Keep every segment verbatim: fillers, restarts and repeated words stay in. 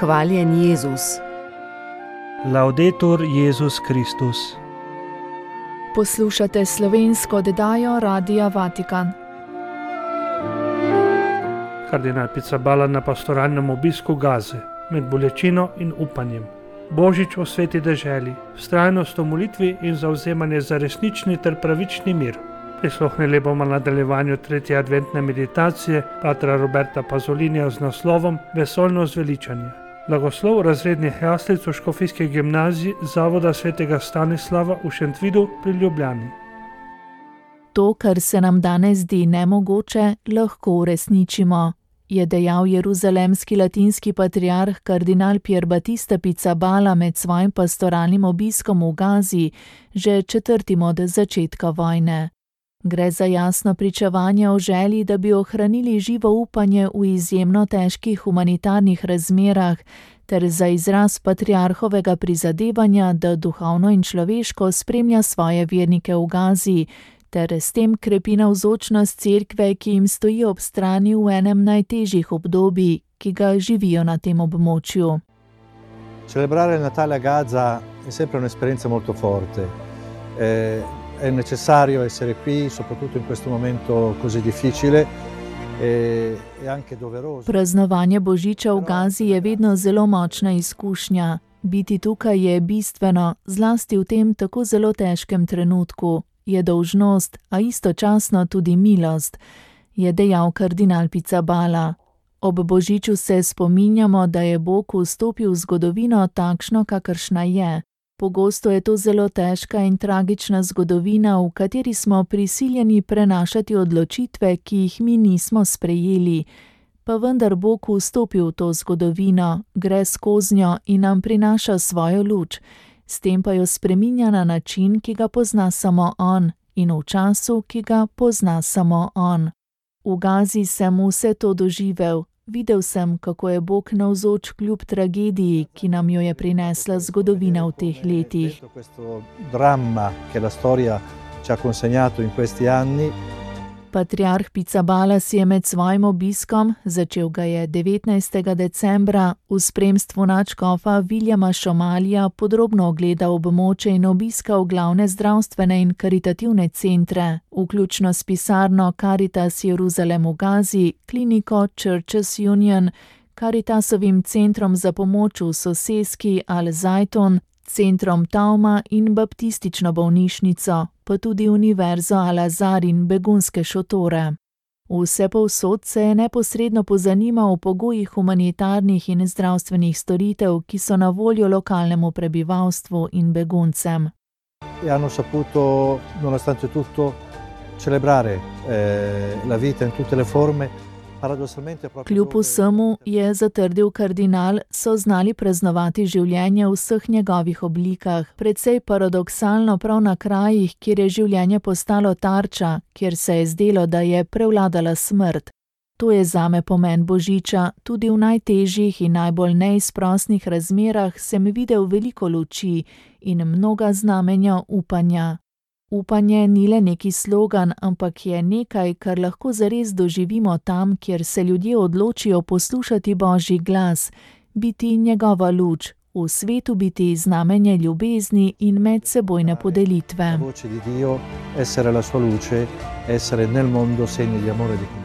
Hvaljen Jezus. Laudetur Jezus Kristus. Poslušate slovensko oddajo Radia Vatikan. Kardinal Pizzaballa na pastoralnem obisku Gaze, med bolečino in upanjem. Božič v sveti deželi, vztrajnost v molitvi in zavzemanje za resnični ter pravični mir. Prisluhnili bomo nadaljevanju tretje adventne meditacije patra Roberta Pazolinija z naslovom Vesoljno zveličanje. Blagoslov razrednih jaslic v Škofijski gimnaziji Zavoda svetega Stanislava v Šentvidu pri Ljubljani. To, kar se nam danes zdi nemogoče, lahko uresničimo, je dejal jeruzalemski latinski patriarh kardinal Pier Battista Pizzaballa med svojim pastoralnim obiskom v Gazi, že četrtim od začetka vojne. Gre za jasno pričevanje o želji, da bi ohranili živo upanje v izjemno težkih humanitarnih razmerah, ter za izraz patriarhovega prizadevanja, da duhovno in človeško spremlja svoje vernike v Gazi, ter s tem krepi navzočnost cerkve, ki jim stoji ob strani v enem najtežjih obdobij, ki ga živijo na tem območju. Celebrare il Natale a Gaza è sempre un'esperienza molto forte. Eh, È necessario essere qui, soprattutto in questo momento così difficile, e anche doveroso. Praznovanje Božiča v Gazi je vedno zelo močna izkušnja. Biti tukaj je bistveno, zlasti v tem tako zelo težkem trenutku. Je dolžnost, a istočasno tudi milost, je dejal kardinal Pizzaballa. Ob Božiču se spominjamo, da je Bog vstopil v zgodovino takšno, kakršna je. Pogosto je to zelo težka in tragična zgodovina, v kateri smo prisiljeni prenašati odločitve, ki jih mi nismo sprejeli. Pa vendar Bog vstopi v to zgodovino, gre skoznjo in nam prinaša svojo luč, s tem pa jo spreminja na način, ki ga pozna samo on, in v času, ki ga pozna samo on. V Gazi sem vse to doživel. Videl sem, kako je Bog navzoč kljub tragediji, ki nam jo je prinesla zgodovina v teh letih. Questo dramma che la storia ci ha consegnato in questi anni. Patriarh Pizzaballa si je med svojim obiskom, začel ga je devetnajstega decembra, v spremstvu nadškofa Viljama Šomalija podrobno ogledal območje in obiskal glavne zdravstvene in karitativne centre, vključno s pisarno Caritas Jeruzalem v Gazi, kliniko Churches Union, Caritasovim centrom za pomoč v soseski Al-Zajton, centrom Tauma in baptistično bolnišnico, pa tudi univerzo Al-Azhar in begunske šotore. Vse povsod se je neposredno pozanimal o pogojih humanitarnih in zdravstvenih storitev, ki so na voljo lokalnemu prebivalstvu in beguncem. E hanno saputo, nonostante tutto, celebrare eh, la vita in tutte le forme. Kljub vsemu, je zatrdil kardinal, so znali praznovati življenje v vseh njegovih oblikah, precej paradoksalno prav na krajih, kjer je življenje postalo tarča, kjer se je zdelo, da je prevladala smrt. To je zame pomen Božiča, tudi v najtežjih in najbolj neizprosnih razmerah sem videl veliko luči in mnoga znamenja upanja. Upanje ni le neki slogan, ampak je nekaj, kar lahko zares doživimo tam, kjer se ljudje odločijo poslušati Božji glas, biti njegova luč, v svetu biti znamenje ljubezni in medsebojne podelitve. Voce di Dio, essere la sua luce, essere nel mondo segno di amore e di condivisione.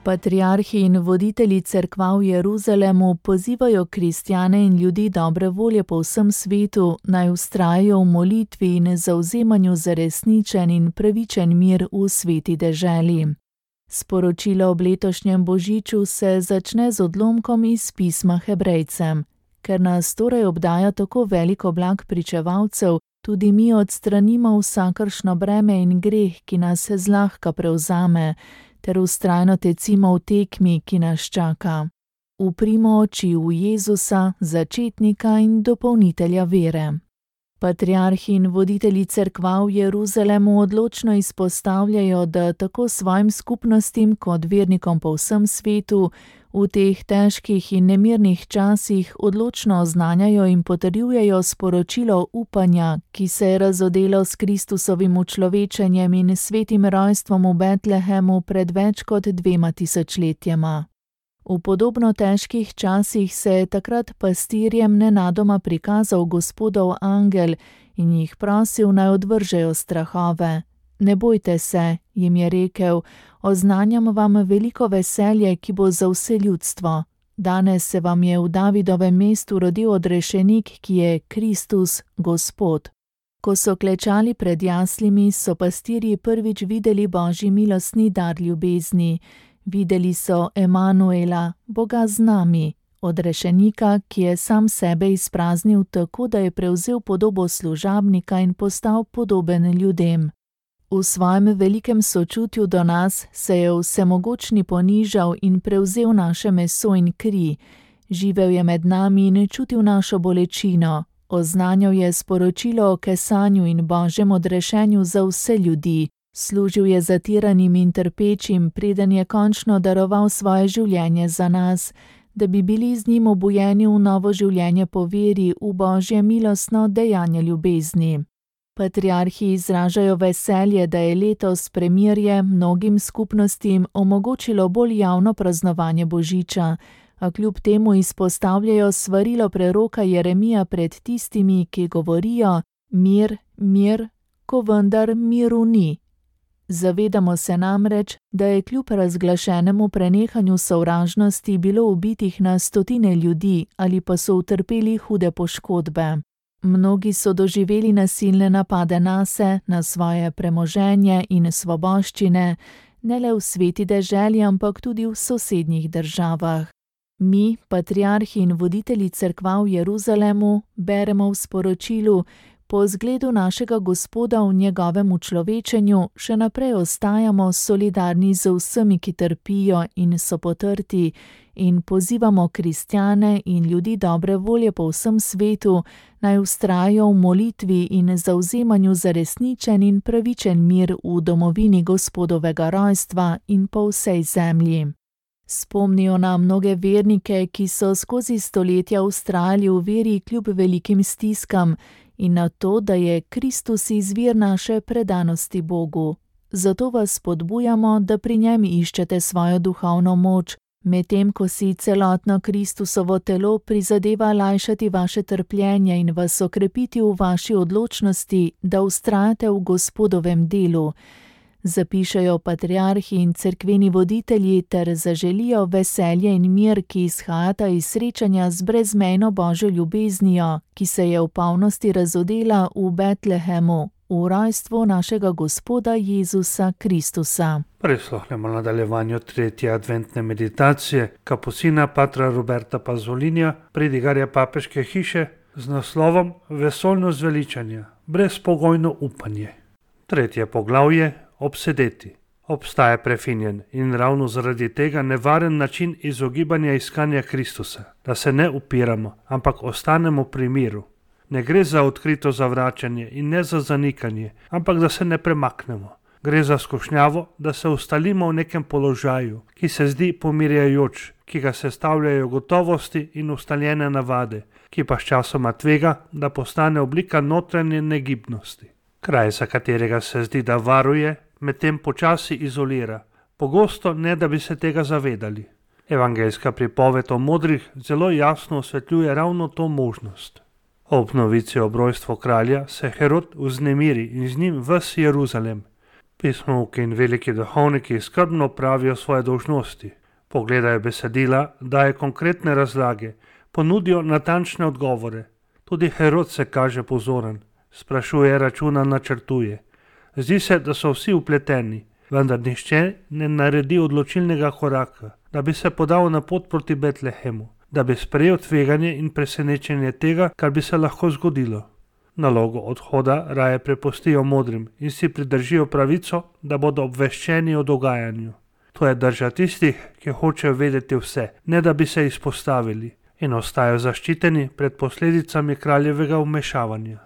Patriarhi in voditelji cerkva v Jeruzalemu pozivajo kristjane in ljudi dobre volje po vsem svetu, naj vztrajajo v molitvi in zavzemanju za resničen in pravičen mir v sveti deželi. Sporočilo ob letošnjem Božiču se začne z odlomkom iz pisma Hebrejcem. Ker nas torej obdaja tako velik oblak pričevalcev, tudi mi odstranimo vsakršno breme in greh, ki nas zlahka prevzame, ter vztrajno tecimo v tekmi, ki nas čaka. Uprimo oči v Jezusa, začetnika in dopolnitelja vere. Patriarhi in voditelji cerkva v Jeruzalemu odločno izpostavljajo, da tako svojim skupnostim kot vernikom po vsem svetu v teh težkih in nemirnih časih odločno oznanjajo in potrjujejo sporočilo upanja, ki se je razodelo s Kristusovim učlovečenjem in svetim rojstvom v Betlehemu pred več kot dvema tisočletjema. V podobno težkih časih se je takrat pastirjem nenadoma prikazal Gospodov angel in jih prosil, naj odvržejo strahove. Ne bojte se, jim je rekel, oznanjam vam veliko veselje, ki bo za vse ljudstvo. Danes se vam je v Davidovem mestu rodil odrešenik, ki je Kristus, Gospod. Ko so klečali pred jaslimi, so pastirji prvič videli Božji milostni dar ljubezni. Videli so Emanuela, Boga z nami, odrešenika, ki je sam sebe izpraznil tako, da je prevzel podobo služabnika in postal podoben ljudem. V svojem velikem sočutju do nas se je vsemogočni ponižal in prevzel naše meso in kri. Živel je med nami in čutil našo bolečino. Oznanjal je sporočilo o kesanju in Božjem odrešenju za vse ljudi. Služil je zatiranim in trpečim, preden je končno daroval svoje življenje za nas, da bi bili z njim obujeni v novo življenje po veri v Božje milostno dejanje ljubezni. Patriarhi izražajo veselje, da je letos premirje mnogim skupnostim omogočilo bolj javno praznovanje Božiča, a kljub temu izpostavljajo svarilo preroka Jeremija pred tistimi, ki govorijo mir, mir, ko vendar miru ni. Zavedamo se namreč, da je kljub razglašenemu prenehanju sovražnosti bilo ubitih na stotine ljudi ali pa so utrpeli hude poškodbe. Mnogi so doživeli nasilne napade nase, na svoje premoženje in svoboščine, ne le v sveti deželi, ampak tudi v sosednjih državah. Mi, patriarhi in voditelji cerkva v Jeruzalemu, beremo v sporočilu, po zgledu našega Gospoda v njegovem učlovečenju še naprej ostajamo solidarni z vsemi, ki trpijo in so potrti, in pozivamo kristjane in ljudi dobre volje po vsem svetu, naj vztrajajo v molitvi in zavzemanju za resničen in pravičen mir v domovini Gospodovega rojstva in po vsej zemlji. Spomnijo na mnoge vernike, ki so skozi stoletja vztrajali v veri kljub velikim stiskam, in na to, da je Kristus izvir naše predanosti Bogu. Zato vas spodbujamo, da pri njem iščete svojo duhovno moč, medtem ko si celotno Kristusovo telo prizadeva lajšati vaše trpljenje in vas okrepiti v vaši odločnosti, da vztrajate v Gospodovem delu. Zapišejo patriarhi in cerkveni voditelji ter zaželijo veselje in mir, ki izhajata iz srečanja z brezmejno Božjo ljubeznijo, ki se je v polnosti razodela v Betlehemu, v rojstvu našega Gospoda Jezusa Kristusa. Prisluhnemo nadaljevanju tretje adventne meditacije kapucina patra Roberta Pazolinija, pridigarja papeške hiše, z naslovom Vesoljno zveličanje, brezpogojno upanje. Tretje poglavje. Obsedeti. Obstaja prefinjen in ravno zaradi tega nevaren način izogibanja iskanja Kristusa, da se ne upiramo, ampak ostanemo pri miru. Ne gre za odkrito zavračanje in ne za zanikanje, ampak da se ne premaknemo. Gre za skušnjavo, da se ustalimo v nekem položaju, ki se zdi pomirjajoč, ki ga sestavljajo gotovosti in ustaljene navade, ki pa sčasoma tvega, da postane oblika notranje negibnosti. Kraj, za katerega se zdi, da varuje, medtem počasi izolira, pogosto ne da bi se tega zavedali. Evangeljska pripoved o modrih zelo jasno osvetljuje ravno to možnost. Ob novici o rojstvu kralja se Herod vznemiri in z njim ves Jeruzalem. Pismovki in veliki duhovniki skrbno pravijo svoje dolžnosti, pogledajo besedila, daje konkretne razlage, ponudijo natančne odgovore. Tudi Herod se kaže pozoren, sprašuje, računa, načrtuje. Zdi se, da so vsi vpleteni, vendar nihče ne naredi odločilnega koraka, da bi se podal na pot proti Betlehemu, da bi sprejel tveganje in presenečenje tega, kar bi se lahko zgodilo. Nalogo odhoda raje prepustijo modrim in si pridržijo pravico, da bodo obveščeni o dogajanju. To je drža tistih, ki hočejo vedeti vse, ne da bi se izpostavili, in ostajajo zaščiteni pred posledicami kraljevega vmešavanja.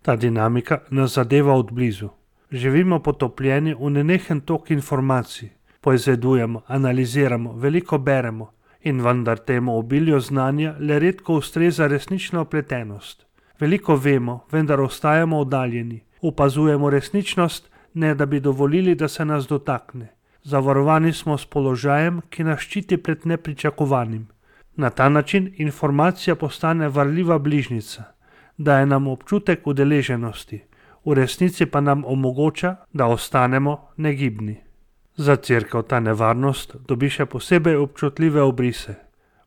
Ta dinamika nas zadeva od blizu. Živimo potopljeni v nenehen tok informacij, poizvedujemo, analiziramo, veliko beremo in vendar temu obilju znanja le redko ustreza resnična opletenost. Veliko vemo, vendar ostajamo oddaljeni, opazujemo resničnost, ne da bi dovolili, da se nas dotakne. Zavarovani smo s položajem, ki nas ščiti pred nepričakovanim. Na ta način informacija postane varljiva bližnjica, daje nam občutek udeleženosti, v resnici pa nam omogoča, da ostanemo negibni. Za cerkev ta nevarnost dobi še posebej občutljive obrise.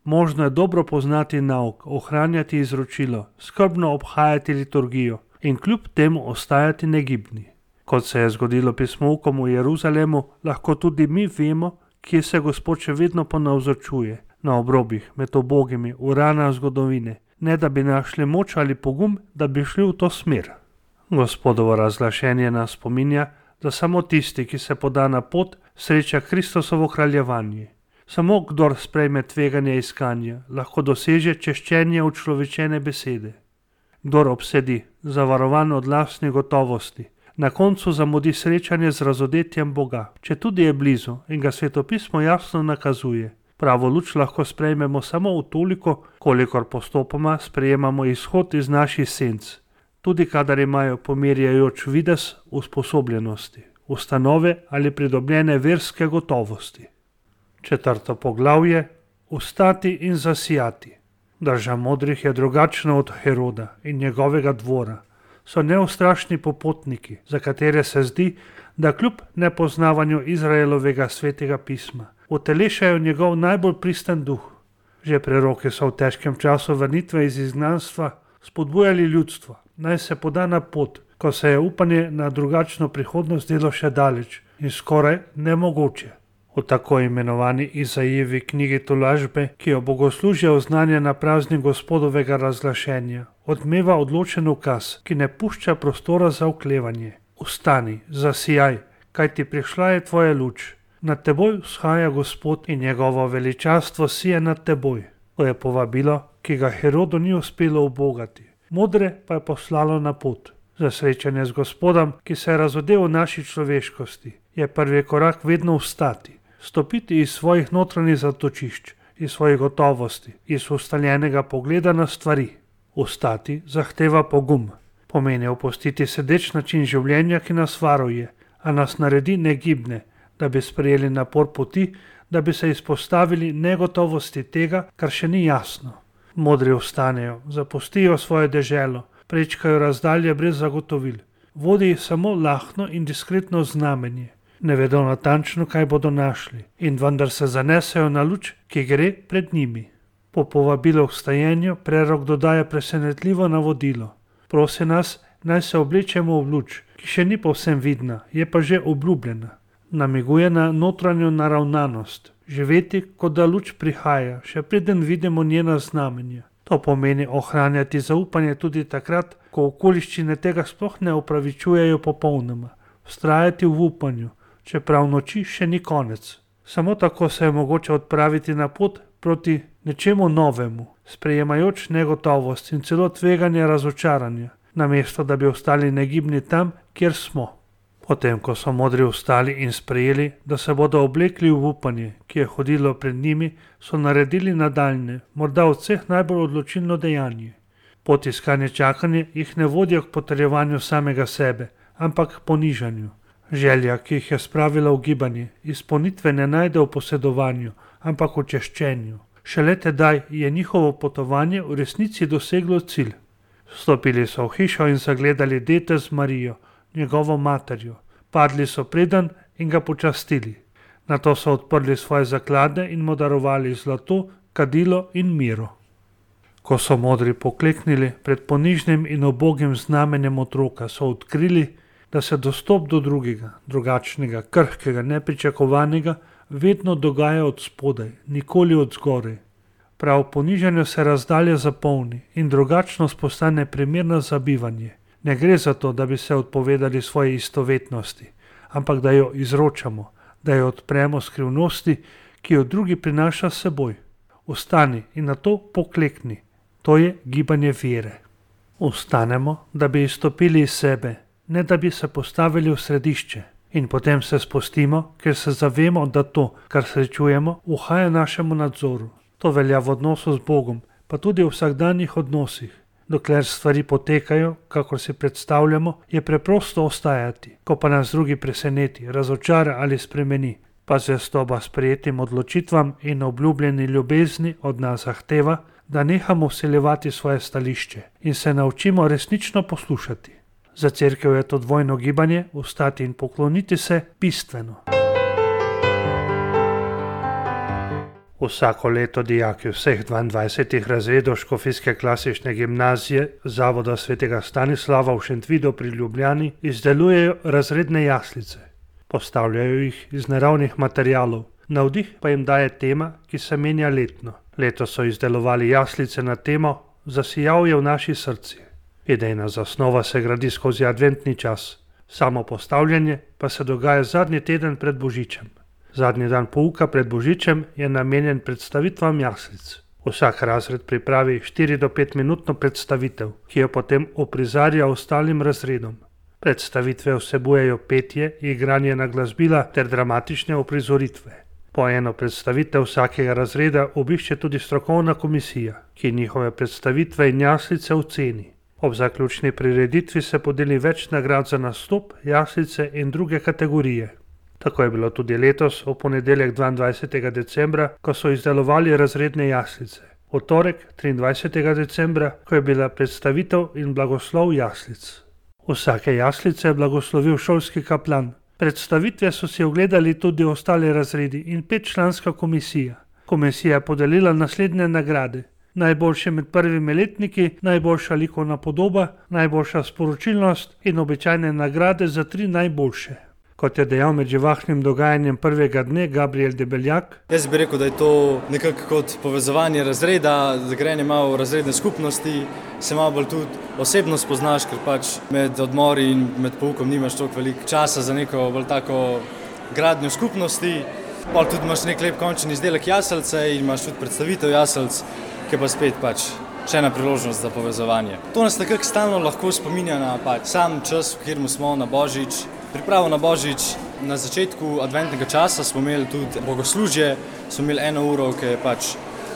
Možno je dobro poznati nauk, ohranjati izročilo, skrbno obhajati liturgijo in kljub temu ostajati negibni. Kot se je zgodilo pismoukom v Jeruzalemu, lahko tudi mi vemo, kje se Gospod še vedno ponavzočuje, na obrobih, med ubogimi, v ranah zgodovine, ne da bi našli moč ali pogum, da bi šli v to smer. Gospodovo razglašenje nas spominja, da samo tisti, ki se poda na pot, sreča Kristusovo kraljevanje. Samo kdor sprejme tveganje iskanja, lahko doseže češčenje učlovečene besede. Kdor obsedi, zavarovan od lastne gotovosti, na koncu zamudi srečanje z razodetjem Boga, če tudi je blizu in ga svetopismo jasno nakazuje. Pravo luč lahko sprejmemo samo v toliko, kolikor postopoma sprejemamo izhod iz naših senc, tudi kadar imajo pomirjajoč videz usposobljenosti, ustanove ali pridobljene verske gotovosti. Četrto poglavje: Vstati in zasijati. Drža modrih je drugačna od Heroda in njegovega dvora. So neustrašni popotniki, za katere se zdi, da kljub nepoznavanju Izraelovega svetega pisma utelešajo njegov najbolj pristen duh. Že preroki so v težkem času vrnitve iz izgnanstva spodbujali ljudstvo, naj se poda na pot, ko se je upanje na drugačno prihodnost delo še daleč in skoraj nemogoče. V tako imenovani Izaijevi knjigi tolažbe, ki jo bogoslužje oznanja na praznik Gospodovega razglašenja, odmeva odločen ukaz, ki ne pušča prostora za oklevanje. Vstani, zasijaj, kajti prišla je tvoja luč. Nad teboj vzhaja Gospod in njegovo veličastvo sije nad teboj. To je povabilo, ki ga Herodu ni uspelo ubogati. Modre pa je poslalo na pot. Za srečanje z Gospodom, ki se je razodel v naši človeškosti, je prvi korak vedno vstati. Stopiti iz svojih notranjih zatočišč, iz svojih gotovosti, iz ustaljenega pogleda na stvari. Vstati zahteva pogum. Pomeni opustiti sedeč način življenja, ki nas varuje, a nas naredi negibne, da bi sprejeli napor poti, da bi se izpostavili negotovosti tega, kar še ni jasno. Modri vstanejo, zapustijo svojo deželo, prečkajo razdalje brez zagotovil. Vodi samo lahno in diskretno znamenje. Ne vedo natančno, kaj bodo našli, in vendar se zanesejo na luč, ki gre pred njimi. Po povabilu k vstajenju prerok dodaja presenetljivo navodilo. Prosi nas, naj se oblečemo v luč, ki še ni povsem vidna, je pa že obljubljena. Namiguje na notranjo naravnanost, živeti, kot da luč prihaja, še preden vidimo njena znamenja. To pomeni ohranjati zaupanje tudi takrat, ko okoliščine tega sploh ne opravičujejo popolnoma. Vztrajati v upanju, čeprav noči še ni konec. Samo tako se je mogoče odpraviti na pot proti nečemu novemu, sprejemajoč negotovost in celo tveganje razočaranja, namesto da bi ostali negibni tam, kjer smo. Potem, ko so modri vstali in sprejeli, da se bodo oblekli v upanje, ki je hodilo pred njimi, so naredili nadaljne, morda od vseh najbolj odločilno dejanje. Pot iskanje čakanje jih ne vodijo k potrjevanju samega sebe, ampak k ponižanju. Želja, ki jih je spravila v gibanje, izpolnitve ne najde v posedovanju, ampak v češčenju. Šele tedaj je njihovo potovanje v resnici doseglo cilj. Stopili so v hišo in zagledali dete z Marijo, njegovo materjo. Padli so predan in ga počastili. Nato so odprli svoje zaklade in mu darovali zlato, kadilo in miro. Ko so modri pokleknili pred ponižnim in ubogim znamenjem otroka, so odkrili, da se dostop do drugega, drugačnega, krhkega, nepričakovanega vedno dogaja od spodaj, nikoli od zgoraj. Prav v ponižanju se razdalja zapolni in drugačnost postane primerna za bivanje. Ne gre za to, da bi se odpovedali svoji istovetnosti, ampak da jo izročamo, da jo odpremo skrivnosti, ki jo drugi prinaša s seboj. Vstani in nato poklekni. To je gibanje vere. Vstanemo, da bi izstopili iz sebe, ne da bi se postavili v središče. In potem se spustimo, ker se zavemo, da to, kar srečujemo, uhaja našemu nadzoru. To velja v odnosu z Bogom, pa tudi v vsakdanjih odnosih. Dokler stvari potekajo, kakor si predstavljamo, je preprosto ostajati. Ko pa nas drugi preseneti, razočara ali spremeni, pa zvestoba sprejetim odločitvam in obljubljeni ljubezni od nas zahteva, da nehamo vsiljevati svoje stališče in se naučimo resnično poslušati. Za cerkev je to dvojno gibanje, vstati in pokloniti se, bistveno. Vsako leto dijaki vseh dvaindvajsetih razredov Škofijske klasične gimnazije Zavoda svetega Stanislava v Šentvidu pri Ljubljani izdelujejo razredne jaslice. Postavljajo jih iz naravnih materialov, navdih pa jim daje tema, ki se menja letno. Letos so izdelovali jaslice na temo Zasijal je v naši srci. Idejna zasnova se gradi skozi adventni čas, samo postavljanje pa se dogaja zadnji teden pred Božičem. Zadnji dan pouka pred Božičem je namenjen predstavitvam jaslic. Vsak razred pripravi štiri do pet minutno predstavitev, ki jo potem uprizarja ostalim razredom. Predstavitve vsebujejo petje, igranje na glasbila ter dramatične uprizoritve. Po eno predstavitev vsakega razreda obišče tudi strokovna komisija, ki njihove predstavitve in jaslice oceni. Ob zaključni prireditvi se podeli več nagrad za nastop, jaslice in druge kategorije. Tako je bilo tudi letos, v ponedeljek dvaindvajsetega decembra, ko so izdelovali razredne jaslice. V torek, triindvajsetega decembra, ko je bila predstavitev in blagoslov jaslic. Vsake jaslice je blagoslovil šolski kaplan. Predstavitve so si ogledali tudi ostali razredi in petčlanska komisija. Komisija je podelila naslednje nagrade. Najboljše med prvimi letniki, najboljša likovna podoba, najboljša sporočilnost in običajne nagrade za tri najboljše. Kot je dejal med živahnim dogajanjem prvega dne Gabriel Debeljak. Jaz bi rekel, da je to nekako kot povezovanje razreda, da grejanje malo v razredne skupnosti, se malo bolj tudi osebno spoznaš, ker pač med odmori in med poukom nimaš toliko veliko časa za neko bolj tako gradnjo skupnosti. Pa tudi imaš nek lep končni izdelek jaselce in imaš tudi predstavitev jaselc, ki pa spet pač še ena priložnost za povezovanje. To nas nekako stalno lahko spominja na pač sam čas, v katerem smo na Božič. Pripravo na Božič, na začetku adventnega časa smo imeli tudi bogoslužje, smo imeli eno uro, ki je pač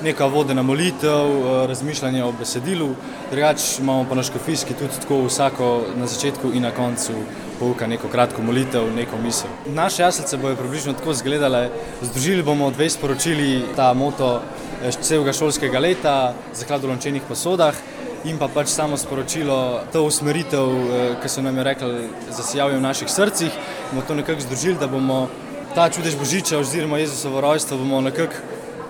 neka vodena molitev, razmišljanje o besedilu, drugače imamo pa na Škofijski tudi tako vsako na začetku in na koncu pouka neko kratko molitev, neko misel. Naše jaslice bojo približno tako izgledale, združili bomo dve sporočili, ta moto celega šolskega leta, zaklad v lončenih posodah, in pa pač samo sporočilo, to usmeritev, ki so nam je rekli, zasijal je v naših srcih, bomo to nekako združili, da bomo ta čudež Božiča oziroma Jezusovo rojstvo bomo nekako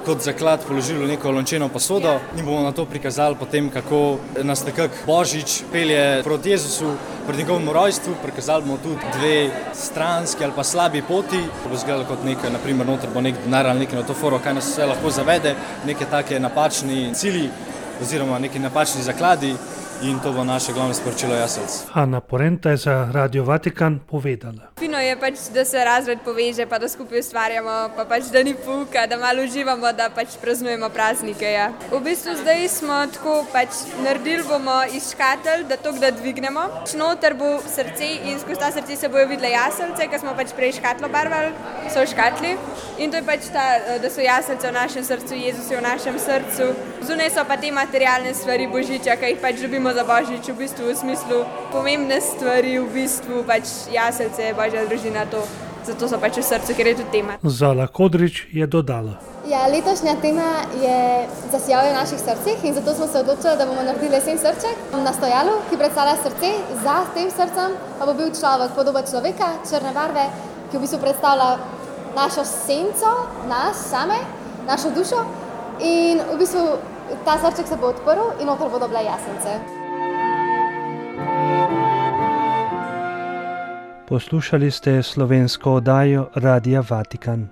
kot zaklad položili v neko lončeno posodo in bomo na to prikazali potem, kako nas nekako Božič pelje proti Jezusu, pred njegovemu rojstvu, prikazali bomo tudi dve stranski ali pa slabi poti, bo izgledalo kot nekaj, naprimer noter bo nek denar ali nekaj na to foro, kaj nas vse lahko zavede, neke take napačni cilji, oziroma neki napačni zakladi in to bo naše glavno sporočilo jaselc. Ana Porenta je za Radio Vatikan povedala. Fino je pač, da se razred poveže, pa da skupaj ustvarjamo, pa pač, da ni pouka, da malo uživamo, da pač praznujemo praznike. Ja. V bistvu zdaj smo tako pač naredili bomo iz škatelj, da to, da dvignemo. Noter bo srce in skozi ta srce se bojo videle jaselce, ker smo pač prej škatlo barvali, so v škatli. In to je pač ta, da so jaselce v našem srcu, Jezus je v našem srcu. Zunaj so pa te materialne stvari Božiča, ki jih pač ljubimo za Božič, v bistvu v smislu pomembne stvari, v bistvu pač jaselce, Božja družina, to. Zato so pač v srcu, ker je tudi tema. Zala Kodrič je dodala. Ja, letošnja tema je Zasijal je v naših srcih in zato smo se odločili, da bomo naredili lesen srček na stojalu, ki predstavlja srce. Za tem srcem pa bo bil človek, podoba človeka, črne barve, ki v bistvu predstavlja našo senco, nas same, našo dušo in v bistvu ta srček se bo odprl in noter bodo bile jasence. Poslušali ste slovensko oddajo Radia Vatikan.